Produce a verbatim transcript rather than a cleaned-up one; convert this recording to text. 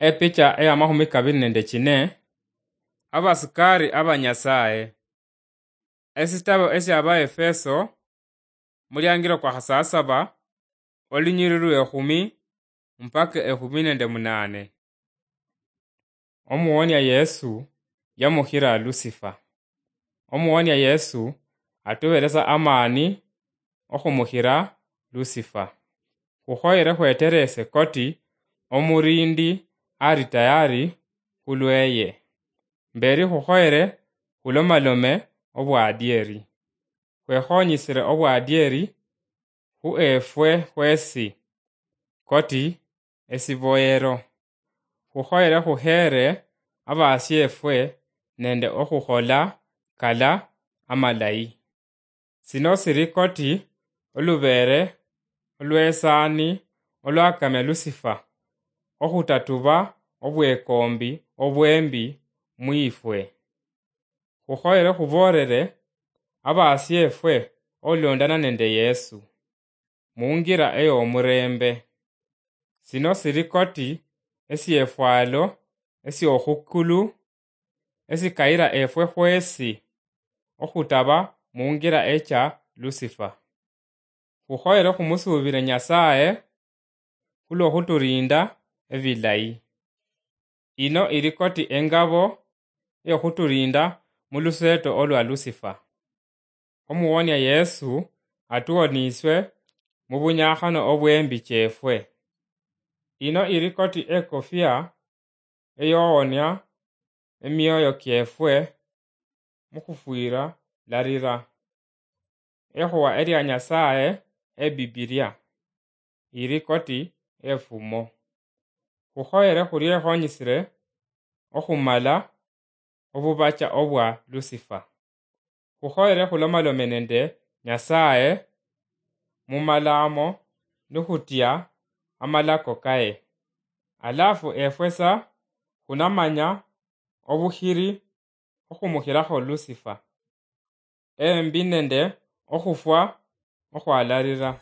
Epicha eya mahumi kabiri nende chine. Abasikari aba Nyasaye. Esitabo esya Abaefeso, muliangiro kwa khasasaba, olunyiri lwe ekhumi mpaka ekhumi nende munane. Omuwonia Yesu yamukhira Lusifa. Omuwonia Yesu atuberesa amani okhumukhira Lusifa. Khukhoyere khweterese koti omurindi ari tayari khulweye. Mberi khukhoyere khulomalome obwadieri. Khwekhonyisire obwadieri khu efwe khwesi, koti esiboyero. Khukhoyere khuheere abasiefwe nende okhukhola kala amalayi. Sino siri koti olubeere olw'esaani olwakamya Lusifa, okhutatuba obwekombi obwembi mwifwe. Khukhoyere khuboolere abasieefwe olondana nende Yesu, mungira ey'omureembe. Sino siri koti esiefwalo esiokhukulu esikayira efwe khwesi okhutaba mungira echa Lusifa. Khukhoyere khumusuubire Nyasaye khulwokhuturinda ebilayi. Ino iri koti engabo eyokhuturinda muluseeto olwa Lusifa. Omuwonia Yesu atuwoniiswe mubunyakhano obwembi chefwe. Ino iri koti ekofia eyowonia emioyo kiefwe mukhufwira larira. Ekhuwa elia Nyasaye ebibilia iri koti efumo. Khukhoyere khuriekhonyisire okhumala obubacha obwa Lusifa. Khukhoyere khulomalome nende Nyasaye mumalamo nikhutia amalako kaye. Alafu efwe sa khunamanya obukhiri okhumukhirakho Lusifa, embi nende okhufwa okhwalarira.